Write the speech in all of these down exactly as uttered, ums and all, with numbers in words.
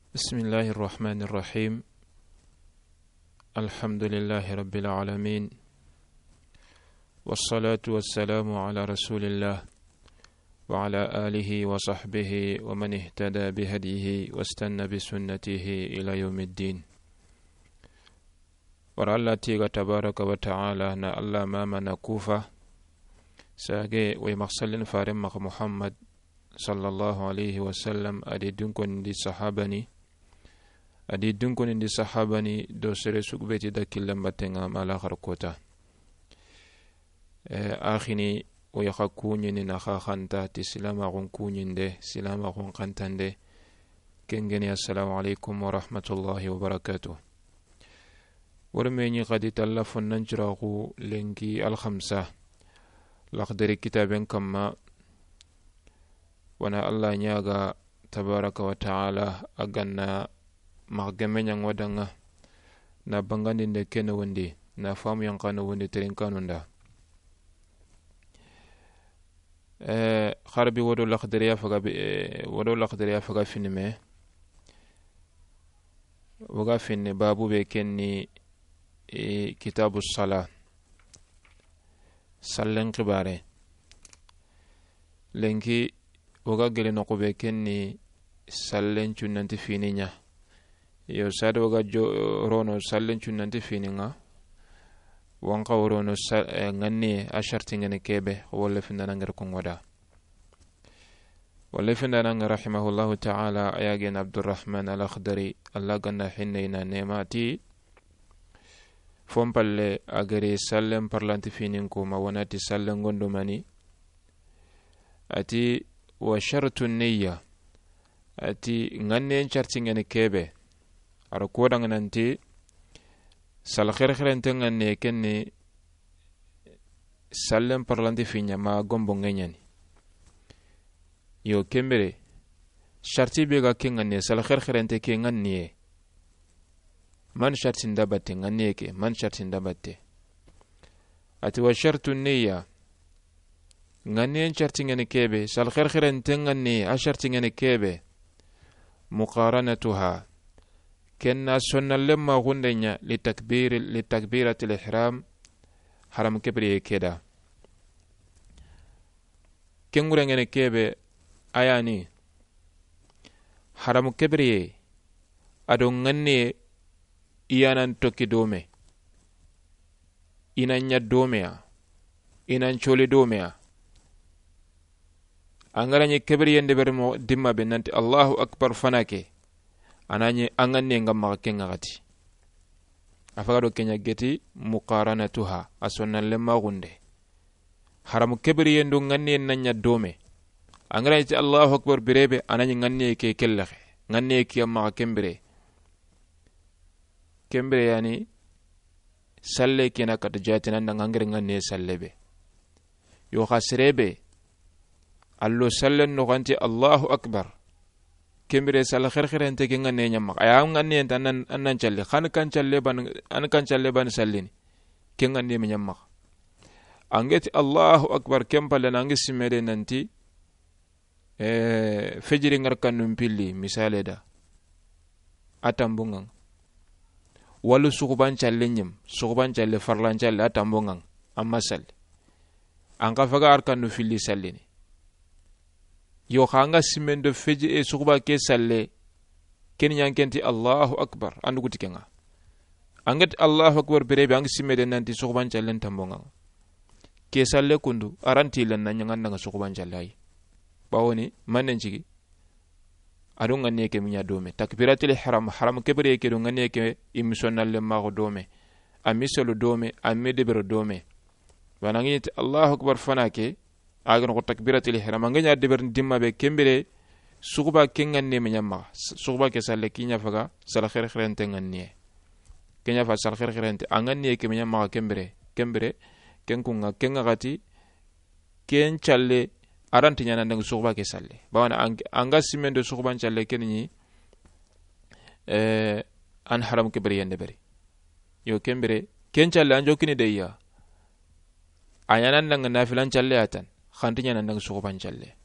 بسم الله الرحمن الرحيم. الحمد لله رب العالمين. والصلاة والسلام على رسول الله وعلى آله وصحبه ومن اهتدى بهديه واستنى بسنته إلى يوم الدين. Wara Alla tiga tabaraka wa taala na Alla mama na kufa. Sage way maxsallin faren maxa Muhammad sallallahu alayhi wa sallam, a di dunkonindi sahabani, a di dunkonindi sahabani do sere sugubeti da killen battenga ma laxar kota. Eh, axini o yaxa kuñini na xa xanta ti silamaxun kuñinde, silamaxun xantande. Kengeni, assalamu alaikum wa rahmatullahi wa barakatuh. Wori meñi xadi talla fonnan ciraxu lenki alxamsa, laxdari kitaben kamma. Wana Alla ñaga tabaraka wa taala a ganna maxa gemme ñango danga na bangandinde kene wondi na famu yankano wondi terinkanunda. Eh, xarbi wodo laxdariya faga be, eh, wodo laxdariya faga finime. Woga finne babu be kenni, eh, kitabu sala. Sallen xibare. Lenki woga gele noxu be kenni sallen cunnanti finiña. Yo sade woga jo rono sallen cunnanti fininga. Wanka worono sa, eh, nganni a sharti ngene kebe wala findana ngere kongoda. Wala findana nga rahimahullahu taala, a yagen Abdurrahman al-Akhdari, Alla ganna hinne ina nemati. Fompalle a gari sallen parlanti finin ko ma wanati sallen gondo mani. Ati wa shartu niyya. Ati nganne sharti ngene kebe. Ara kodangananti sal khere khere nte nganne kenni sallen parlanti finya ma gombo ngenyani. Yo kembere, sharti be ga ke nganne sal khere khere nte ke nganne. Man sharti nda batte nganne ke, man sharti nda batte. Ati wa shartu niyya. Nganne sharti ngene kebe, sal khere khere nte nganne a sharti ngene kebe. Muqaranatuha. Kenna sonna lemma gundenya li takbir, li takbiratil ihram. Haram kebriye keda. Kengure ngene kebe ayani. Haram kebriye ado nganne iyanan toki dome. Inan ɲa domeya. Inan coli domeya. Angara ɲi kebriye nde bermo dimma be nanti Allahu akbar fanake. Anani anganne ngam maxa kenga gati. Afaga do kenya geti muqaranatuha a sonnan lemma gunde. Haramu kebriye ndo nganne nan ɲa dome. Angara iti Allahu akbar birebe anani nganne ke kellexe. Nganne ke maxa kembire. Kembire yani salle kena kata jatinan da ngangere nganne salle be. Yo xa serebe allo sallen no ganti Allahu akbar. Kembire sal khere khere nte ke nganne ɲamma. Aya nganne nta nan, an nan calle. Xan kan calle ban, an kan calle ban sallini. Ke nganne me ɲamma. Angeti Allahu akbar kempale nangi simede nanti, eh, fejiri ngar kannu mpilli, misale da. A tambungan. Walu suxuban calle ɲim, suxuban calle, farlan calle, a tambungan. Amma salle. An ka faga arkannu filli sallini. Yo xa anga simen do feji e suxuba ke salle. Ken ɲankenti Allahu akbar. Andu guti kenga. Angeti Allahu akbar birebe angi simede nanti suxuban callen tambonga. Ke salle kundu aranti len na ɲangan nanga suxuban calle ay. Bawoni mannen cigi. Ado nganne ke miɲa dome. Takbiratul ihram, haram kebriye ke do nganne ke imisonnalle maxo dome. A miselu dome, a mi debero dome. Banangi ti Allahu akbar fanake. Agan ko takbiratul ihram. Anganya deber dimma be kembire. Suxuba ke nganne me ɲamma. Suxuba ke salle kiɲa faga. Sal khere khere nte nganne. Kenya fa sal khere khere nte. Anganne ke me ɲamma kembire. Kembire. Ken kunga kenga gati. Ken calle aranti ɲana ndang suxuba ke salle. Bawana anga simen do suxuban calle ken ni, eh, an haram ke beri yende beri. Yo kembire ken calle an jokini de ya. A ɲana ndang nafilan calle atan. Xanti ɲana ndang suxuban calle.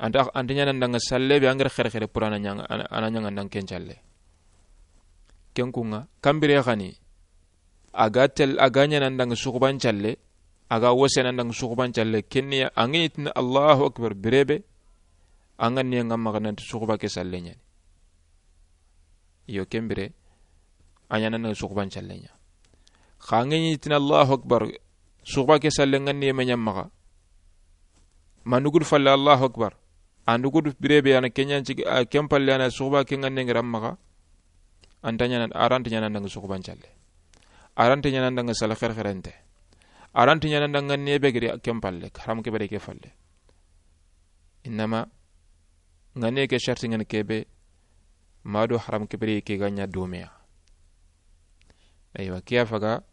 Anta, anta ɲaana n danŋa salle be an ga ri xerexere pour a na ɲaŋa, a na ɲaŋa n danŋa ken calle. Ken kuŋa, kambire xa ni, a ga tel, a ga ɲaana n danŋa suxuban calle, a ga wose na n danŋa suxuban calle, ken ni ya, an ga ɲi tini Allahu Akbar bire be, an ga ni ŋa maxa nanti suxuba ke salle ɲaani. Iyo, ken bire, a ɲaana n danŋa suxuban calle ɲa. Xa an ga ɲi tini Allahu Akbar, suxuba ke salle ŋa ni me ɲa maxa. Ma n dugudu falle Allahu Akbar. An dugudu bire be a na ken ɲa n cigi, a ken palle a na suxuba ke ŋa ni ŋa ra maxa. Anta ɲaana, a ra nta ɲaana n danŋa suxuban calle. A ra nta ɲaana n danŋa salle xerexerente. A ra nta ɲaana n danŋa ŋa ni be giri ken palle, haram ke bire ke falle. Innama, ŋa ni ke sharti ŋa ni ke be, ma do haram ke bire ke ga ɲa do me ya. Aywa, ke ya faga,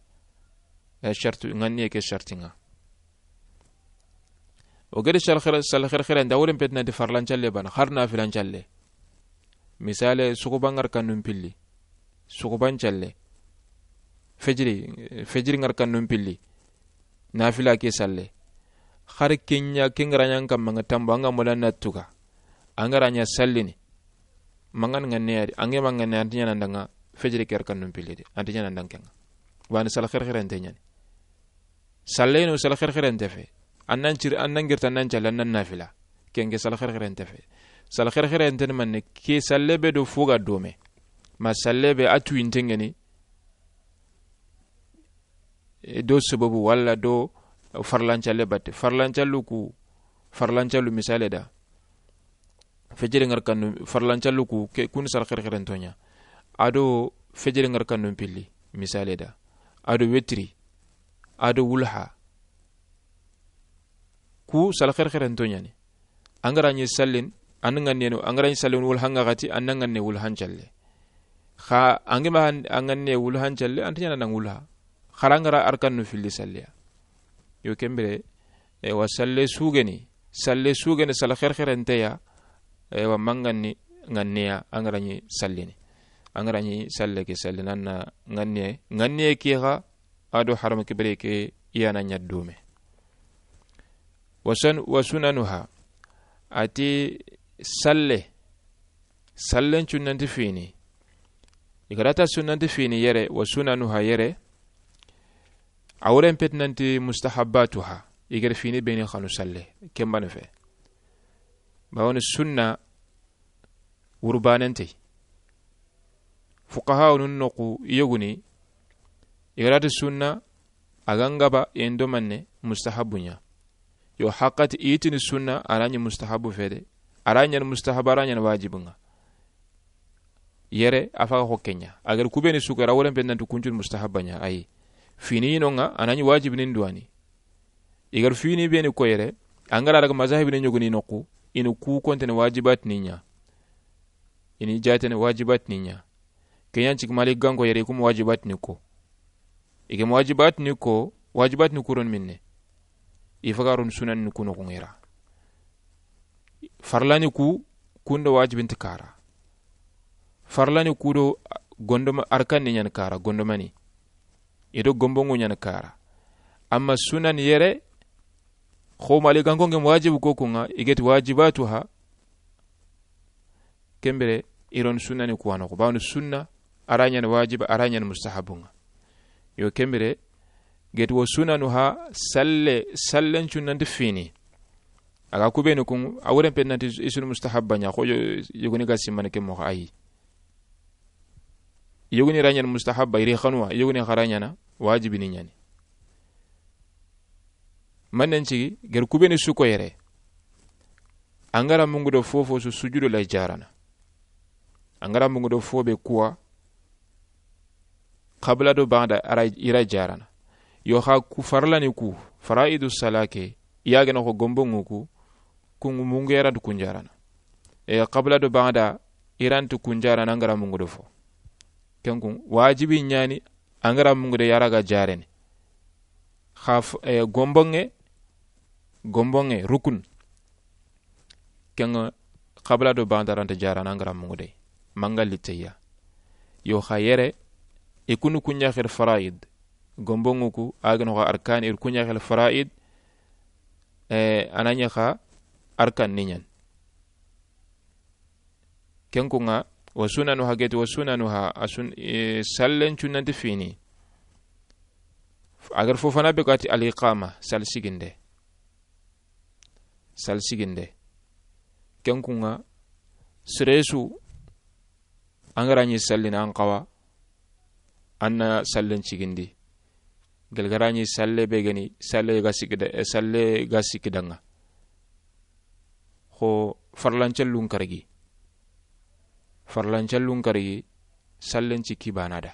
ya shartu, ŋa ni ke sharti ŋa. O gede salle xere, salle xerexere nda woren peti nanti farlan calle bana, xari nafilan calle. Misale, suxuban ŋa ra kanun pilli. Suxuban calle. Fejiri, fejiri ŋa ra kanun pilli. Nafila ke salle. Xari ken ɲa, ken ga ra ɲa n kamma ŋa tambo, an ga mola na tuga. An ga ra ɲa sallini. Mangan ŋa ni ya di, an ga ma ŋa ni ya, anta ɲaana n danŋa fejiri ke ra kanun pilli de. Anta ɲaana n danŋa ken ŋa. Wa ni salle xerexerente ɲaani. Salle no salle xerexerente fe. An nan ciri, an nan girta, an nan calle, an nan nafila. Ken ke salle xerexerente fe. Salle xerexerente ni manne, ke salle be do fo ga do me. Ma salle be a tuyinte ŋa ni, e, do sababu walla do farlan calle batte. Farlan callu ku, farlan callu misale da. Fejiri ŋa ra kanun, farlan callu ku, ke, kun salle xerexerento ɲa. A do fejiri ŋa ra kanun pilli, misale da. A do wetiri. A do wulha. Ku salle xerexerento ɲaani. An ga ra ɲi sallin, an ŋa ni no, an ga ra ɲi sallin wulha ŋa xati, an ŋa ni wulhan calle. Xa an ga ma an ŋa ni wulhan calle, anta ɲaana n danŋa wulha. Xara an ga ra arkanu filli salliya. Yo ken bire, e, wa salle su ga ni, salle su ga ni, salle xerexerente ya, e, wa mangan ni ŋa ni ya, an ga ra ɲi sallini. An ga ra ɲi salle ke sallini, an na ŋa ni, ŋa ni ke xa, a do haram ke bire ke ya na ɲa do me. Wa sun-, wa sunanuha, a ti salle, sallen cunnanti fini. I ga ra ta sunnanti fini yere, wa sunanuha yere, a woren peti nanti mustahabbatuha, i ga ra fini be ni xanu salle, ken bane fe. Bawoni sunna wurbanente. Fuqaha nun noxu yoguni, i ga ra ti sunna, a ga n gaba, i n do manne mustahabu ɲa. Yo, haqati i tini sunna, a ra ɲi mustahabu fe de. A ra ɲaana mustahabu, a ra ɲaana wajibu ŋa. Yere, a faga xo ken ɲa. A ga ra ku be ni su ga ra, a woren peti nanti kuncun mustahabu ɲa, ayi. Fini no ŋa, a na ɲi wajibinin duwani. I ga ra fini be ni ko yere, an ga ra daga mazahibini ɲogoni noxu, i ni ku kontene wajibatini ɲa. I ni jatene wajibatini ɲa. Ken ɲa n cigi Malikanko yere, i ku ma wajibatini ko. I ga ma wajibatini ko, wajibatini ku ro ni minne. I faga ro ni sunanni ku noxu ŋa i ra. Farlani ku, kun do wajibinti kara. Farlani ku do gondoma-, arkanni ɲaani kara, gondomani. I do gomboŋu ɲaani kara. Amma sunan yere, xo Malikanko ŋa wajibu ko ku ŋa, i ga ti wajibatuha, ken bire, i ro ni sunnani ku wa noxu. Bawoni sunna, a ra ɲaana wajiba, a ra ɲaana mustahabu ŋa. Yo, ken bire, ga ti wa sunanuha, salle, sallen cunnanti fini. A ga ku be ni ku, a woren peti nanti i su ni mustahabba ɲa, xo yo-, yogoni ga simmana ke moxo, ayi. Yogoni ra ɲaana mustahabba, i ri xanuwa, yogoni xa ra ɲaana wajibini ɲaani. Manen cigi, ga ra ku be ni su ko yere. An ga ra mungu do fofo su, sujudu lay jarana. An ga ra mungu do fo be kuwa, qabla do ba'da a ra, i ra jarana. Yo xa ku farlani ku, faraidu salake, i ya ga na xo gomboŋu ku, ku mungu ya ra nta ku jarana. E, qabla do ba'da, i ra nta ku jarana an ga ra mungu do fo. Ken ku, wajibi ɲaani, an ga ra mungu de ya ra ga jarene. Xa f-, e, gomboŋe, gomboŋe, rukun. Ken ŋa, qabla do ba'da ra nta jarana an ga ra mungu de. Manga liteya. Yo xa yere, i ku ni ku ɲa xiri faraid. Gomboŋu ku, a ga na xo arkan, i ku ɲa xiri faraid. E, a na ɲa xa arkan ni ɲaani. Ken kuŋa, wa sunanuha geti, wa sunanuha, a sun, e, sallen cunnanti fini. A gari fofana be gati al iqama, sal siginde. Sal siginde. Ken kuŋa, siresu, an ga ra ɲi sallini an xawa, an na sallen cigindi. Gelgara ɲi salle be geni, salle ga sikida, e, salle ga sikidaŋa. Xo farlancallun karagi. Farlancallun karagi, sallen ciki banada.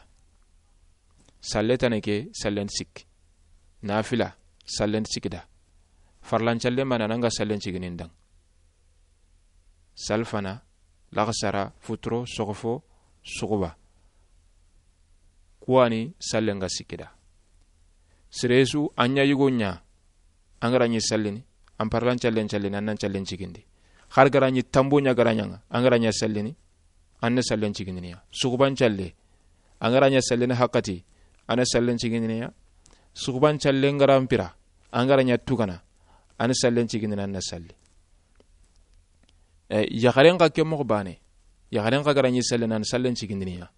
Salle tane ke, sallen sikki. Nafila, sallen sikida. Farlancalle mana nanga sallen ciginin daŋ. Salfana, laxasara, futuro, soxofo, suxuba. Kuwani sallen ga sikida. Siresu, an ɲa yugo ɲa, an ga ra ɲi sallini, an parlan callen callini, an nan callen cigindi. Har ga ra ɲi tambo ɲa ga ra ɲaŋa, an ga ra ɲa sallini, an na sallen cigindiniya. Suxuban calle, an ga ra ɲa sallini hakati, an na sallen cigindiniya. Suxuban calle n ga ra mpira, an ga ra ɲa tugana, an na sallen cigindini, an na salli. E, yaxaren xa ke moxo bane. Yaxaren xa ga ra ɲi sallen, an na sallen cigindiniya.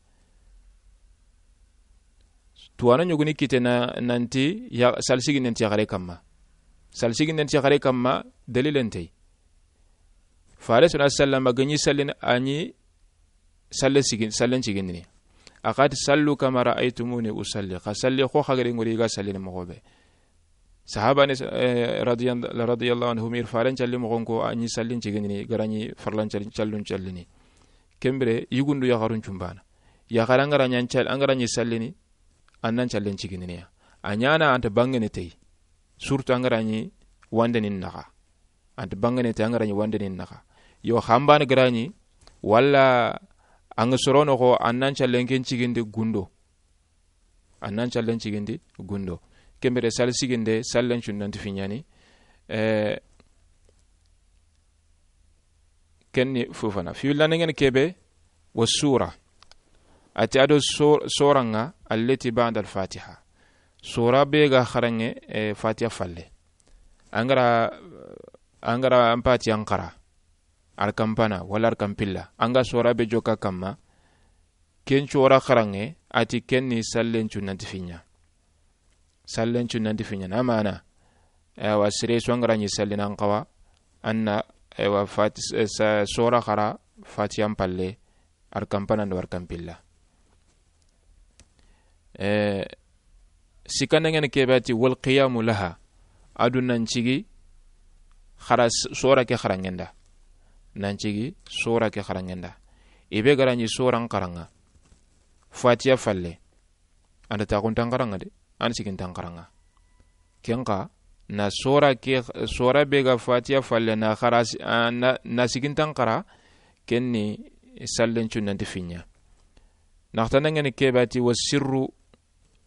Tuwana ɲogoni kite na, nanti ya, sal siginden ti yaxare kamma. Sal siginden ti yaxare kamma, dalilen tey. Fare sona sallama ga ɲi sallin, a ɲi salle sigin, sallen cigindini. A xati, "Sallu kama ra'aytumuni usalli." Xa salli xo xa gari ŋori ga sallini moxo be. Sahaba ni, eh, radiyan-, radiyallahu anhum, ir faren calli moxon ko, a ɲi sallin cigindini, ga ra ɲi farlan callin, callun callini. Kembire, yugundu yaxarun cumbana. Yaxara an ga ra ɲi an cal-, an ga ra ɲi sallini, an nan callen cigindiniya. A ɲana anta bangene tey. Surtout an ga ra ɲi wandeni naxa. Anta bangene tey an ga ra ɲi wandeni naxa. Yo, xambana ga ra ɲi, walla an ga sorono xo, an nan callen ken cigindi gundo. An nan callen cigindi gundo. Kembire sal siginde, sallen cunnanti fiɲani. Eh, Kenni fofana. Fi willa nengen kebe, wa sura. Ati ado so-, soraŋa, allati ba'da al-Fatiha. Sora be ga xaraŋe, eh, Fatiha falle. An ga ra, an ga ra an Fatiha n xara. Arkan pana, wala arkan pilla. An ga sora be joka kamma. Ken cora xaraŋe, ati kenni sallen cunnanti fiɲa. Sallen cunnanti fiɲa. Na mana. Ewa, sire su an ga ra ɲi sallinan xawa. An na, ewa, fati-, eh, sa-, sora xara, Fatiha n palle, arkan pana do arkan pilla. Eh, Sikandengeni kebe ati, wal qiyamu laha. Adu nan cigi, xara s-, sora ke xaraŋenda. Nan cigi, sora ke xaraŋenda. Ibe ga ra ɲi soran xaraŋa. Fatiha falle. Anta taxuntan xaraŋa de. An sigintan xaraŋa. Ken xa, na sora ke, sora be ga Fatiha falle na xara si-, a, na, na sigintan xara, kenni sallen cunnanti fiɲa. Naxtandengeni kebe ati, wa sirru,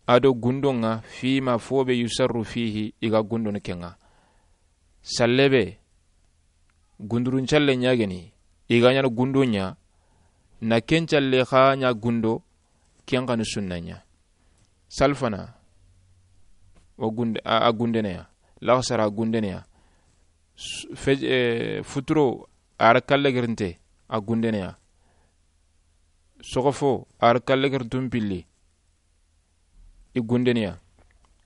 ado gundoŋa, fima fo be yusarru fihi, i ga gundono keŋa. Salle be, gundurun calle ɲageni, i ga ɲana gundo ɲa, na ken calle xa ɲa gundo, ken xa ni sunna ɲa. Salfana, o gunde, a, a gundeneya. Laxasara a gundeneya. Su-, fe-, eh, futuro, a ra kalle gerinte, a gundeneya. Soxofo, a ra kalle gerintun pilli. I gundeniya.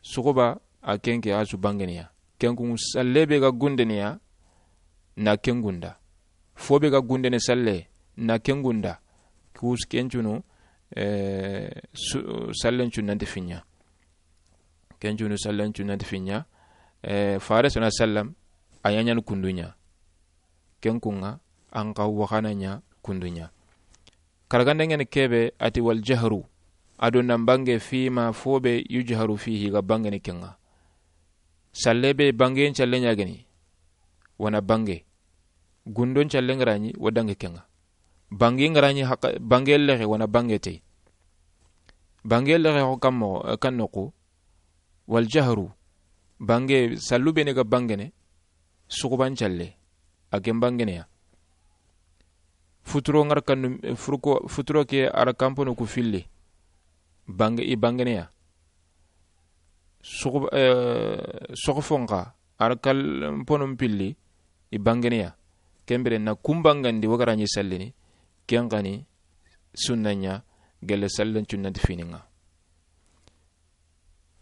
Suxuba a kenke a su bangeniya. Kenkun salle be ga gundeniya, na ken gunda. Fo be ga gundene salle, na ken gunda. Kus kencunu, eh, su-, sallen cunnanti fiɲa. Kencunu sallen cunnanti fiɲa. Eh, fare sona sallam, a ɲaɲan kunduɲa. Kenkunga, an xa waxana ɲa kunduɲa. Karagandengeni kebe ati wal jahru, ado nan bange fima fo be yujharu fihi ga bangeni kenga. Salle be bangen calle ɲageni, wana bange. Gundon calle ngaraɲi, wa dange kenga. Bange ngaraɲi haka, bange lexe wana bange tey. Bange lexe ho kammo, eh, kan noqu. Wal jahru, bange, sallu bene ga bangene, suxuban calle, a ken bangeneya. Futuro ngar kannu, furuko, futuro ke a ra kampono ku filli, bange, i bangeneya. Suxu, eh, soxofonxa, a ra kampono pilli, i bangeneya. Kembere na kun bangandi wagaraɲi sallini, Ken xa ni sunna ɲa gelle sallen cunnanti fini ŋa.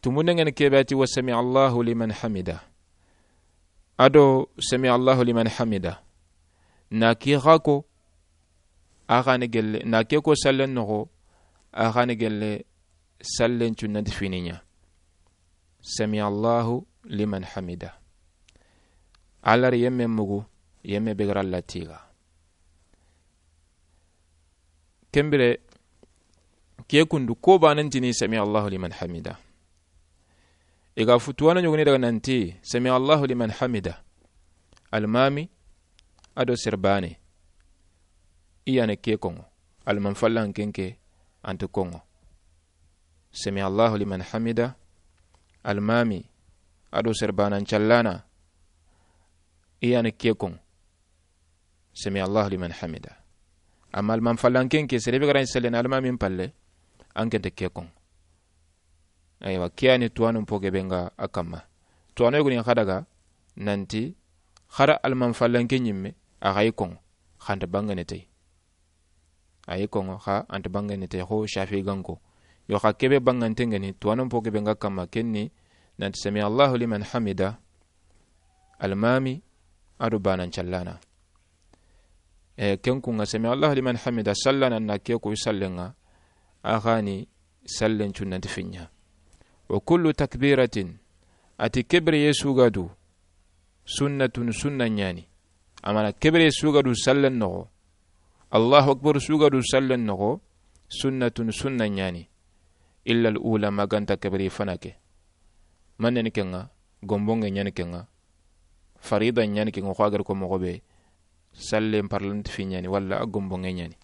Tumunden ŋa ni ke be a ti wa sami Allahu liman hamida. A do sami Allahu liman hamida. Na ke xa ko, a xa ni gelle, na ke ko sallen noxo, a xa ni gelle sallen cunnanti fini ɲa. Sami Allahu liman hamida. Alla ri yemme mugu, yemme be ga ra Alla tiga. Ken bire, ke kundu ko banan ti ni sami Allahu liman hamida. I ga futuwana ɲogoni daga nanti sami Allahu liman hamida. Almami a do serbane. I ya ni ke koŋo. Alman fallan kenke anti koŋo. Sami Allahu liman hamida. Almami a do serbanan callana. I ya ni ke koŋo. Sami Allahu liman hamida. Amma alman fallan kenke, sere be ga ra ni sallena almamin palle, an kente ke koŋo. Aywa, ke ya ni tuwanun po ke be ŋa a kamma. Tuwano yogoni xa daga nanti, xara alman fallan ke ɲimme, a xa yi koŋo, xa nta bangene tey. A yi koŋo, xa anta bangene tey, xo Shafi ganko. Yo xa ke be bangante ŋa ni, tuwanon po ke be ŋa kamma, ken ni nanti sami Allahu liman hamida, almami a do banan callana. E, ken ku ŋa sami Allahu liman hamida, sallana na ke ku sallen ŋa, a xa ni sallen cunnanti fini ɲa. Wa kullu takbiratin, a ti ke bire ye su ga du, sunnatun, sunna ɲa ni. Amana ke bire su ga du sallen noxo, Allahu akbar su ga du sallen noxo, sunnatun, sunna ɲa ni. Illa al ula, ma ga nta ke bire fana ke. Manne ni ke ŋa? Gombonŋe ɲa ni ke ŋa. Farida ɲa ni ke ŋa, xo a ga ri ko moxo be, sallen parlanti fini ɲa ni, walla a gombonŋe ɲa ni.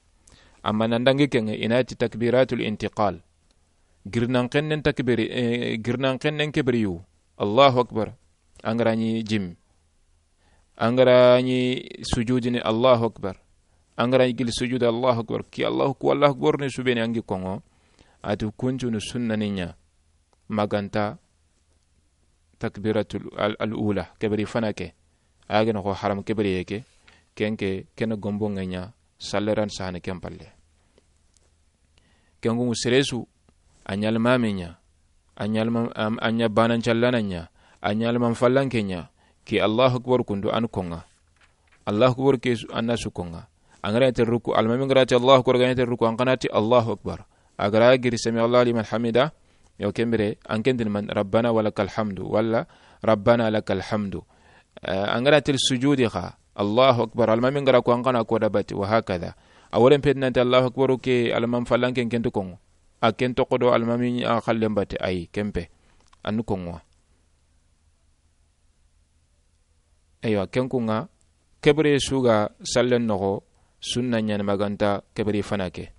Amma nan dangi ke ŋa, i na ti takbiratul intiqal. Girnan xennen takbiri, eh, girnan xennen ke bire yu. Allahu akbar. An ga ra ni jim. An ga ra ni sujudini, Allahu akbar. An ga ra ni gili sujudi, Allahu akbar. Ki Allahu ku, Allahu akbar ni su be ni an gi koŋo. A ti kuncunu sunna ni ɲa. Ma ga nta takbiratul al, al ula, ke bire fana ke. A ga na xo haram ke bire ye ke. Ken ke, ken gombonŋe ɲa, salleran sahane ken palle. Ken ku ŋa sere su, a ɲa almami ɲa, a ɲa alma-, am-, a ɲa banan callana ɲa, a ɲa alman fallan ke ɲa, ke Allahu akbar kundu an koŋa. Allahu akbar ke su, an na su koŋa. An ga ra ni ti ruku, almami ga ra ti Allahu akbar, ga ra ni ti ruku, an xa na ti Allahu akbar. A ga ra giri sami Allahu liman hamida, yo ken bire, an ken ti ni man, rabbana wa lakal hamdu, walla rabbana lakal hamdu. Eh, an ga ra ti sujudi xa, Allahu akbar, almami ga ra ko, an xa na ko da bati, wa hakada. A woren peti nanti Allahu akbar ke, alman fallan ken ken ti koŋo. A ken toxo do almami a xallen bati, ayi, ken pe. An koŋo. Eywa, ken ku ŋa, ke bire su ga sallen noxo, sunna ɲa ni ma ga nta ke bire fana ke.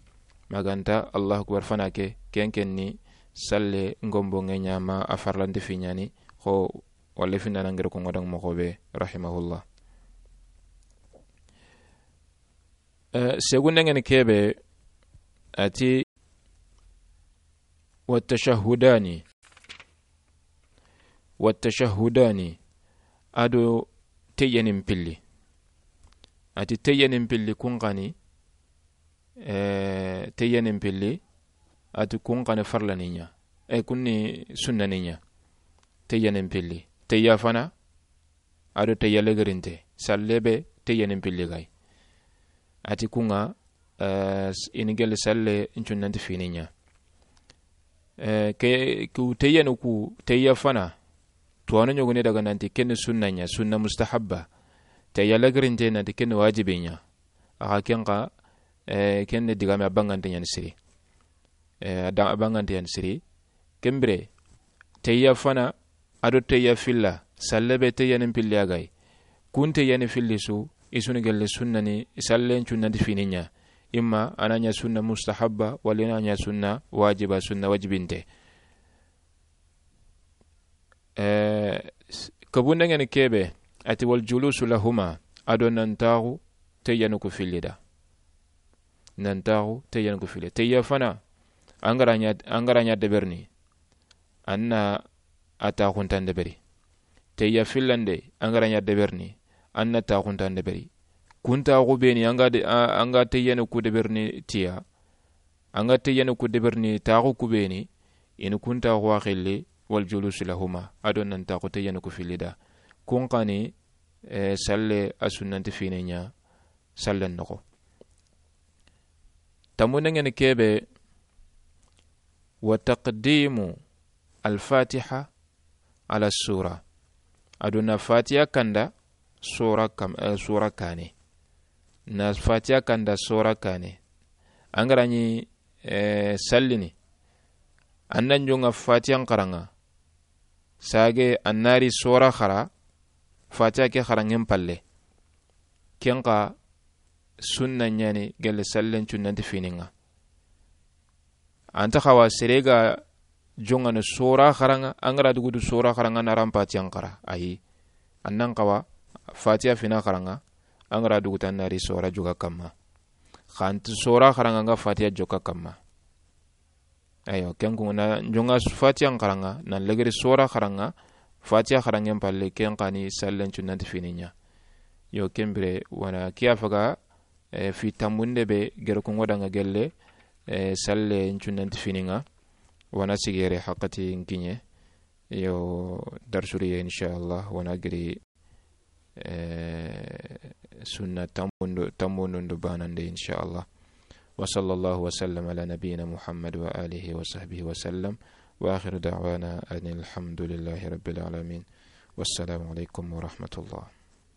Ma ga nta Allahu akbar fana ke, ken ken ni salle gombonŋe ɲa, ma a farlanti fini ɲa ni, xo walla finna na ŋa ri ko ŋa daŋa moxo be, rahimahullah. Eh, segunde ŋa ni ke be, a ti, wa tashahhudani, wa tashahhudani, a do teyyanin pilli. A ti teyyanin pilli kun xa ni, eh, teyyanin pilli, a ti kun xa ni farlani ɲa. E, kun ni sunnani ɲa. Teyyanin pilli. Teyya fana, a do teyya legirinte, salle be teyyanin pilli ga yi. A ti ku ŋa, eh, s-, i ni gelle salle cunnanti fini ɲa. Eh, ke, ku teyyanu ku, teyya fana, tuwano ɲogoni daga nanti ken ni sunna ɲa, sunna mustahabba. Teyya legirinte nanti ken ni wajibi ɲa. A xa ken xa, eh, ken ni digame a bangante ɲa ni siri. Eh, a da-, a bangante ɲa ni siri. Ken bire, teyya fana, a do teyya filla, salle be teyyanin pilli a ga yi. Kun teyyani filli su, i su ni gelle sunnani, sallen cunnanti fini ɲa. Imma a na ɲa sunna mustahabba, walla a na ɲa sunna wajiba, sunna wajibinte. Eh, s-, kabunde ŋa ni ke be, a ti wal julusu lahuma, a do nan taxu teyyanu ku filli da. Nan taxu teyyanu ku filli. Teyya fana, an ga ra ɲa, an ga ra ɲa deberini, an na a taxuntan deberi. Teyya fillande, an ga ra ɲa deberini, an na taxuntan deberi. Kun taaxu be ni, an ga de, a, an ga teyyene ku deberini tiya, an ga teyyene ku deberini taaxu ku be ni, i ni kun taaxu wa xilli, wal julus lahuma, a do nan taaxu teyyene ku filli da. Kun xa ni, e, salle a sunnanti fini ɲa, sallen noxo. Tammunden ŋa ni ke be, wa taqdimu al-Fatiha ala sura. A do na Fatiha kanda sura kam, eh, sura kaane. Na Fatiha kanda sura kaane. An ga ra ɲi, eh, sallini. An na ɲonga Fatiha n xaraŋa. Sage an na ri sura xara, Fatiha ke xaraŋen palle. Ken xa sunna ɲa ni gelle sallen cunnanti fini ŋa. An ta xawa sere ga jongana sura xaraŋa, an ga ra dugutu sura xaraŋa na ran Fatiha n xara. Ayi. An nan xawa Fatiha fina xaraŋa, an ga ra dugutu an na ri sura joga kamma. Xa an ti sura xaraŋa nga Fatiha joga kamma. Ayo, ken ku na jonga Fatiha n xaraŋa, na legeri sura xaraŋa, Fatiha xaraŋen palle, ken xa ni sallen cunnanti fini ɲa. Yo, ken bire, wana kiya faga, eh, fi tammunde be, gere ku ŋo da ŋa gelle, eh, sallen cunnanti fini ŋa, wana sigere haqqati n kiɲe. Yo, darsuriye, inshallah, wana giri, eh, sunna tammundo, tammundo banande, inshallah. Wa sallallahu wa sallam ala nabiyyina Muhammad wa alihi wa sahbihi wa sallam. Wa akhiru da'wana anil hamdulillahi rabbil alamin. Wassalamu alaikum wa rahmatullah.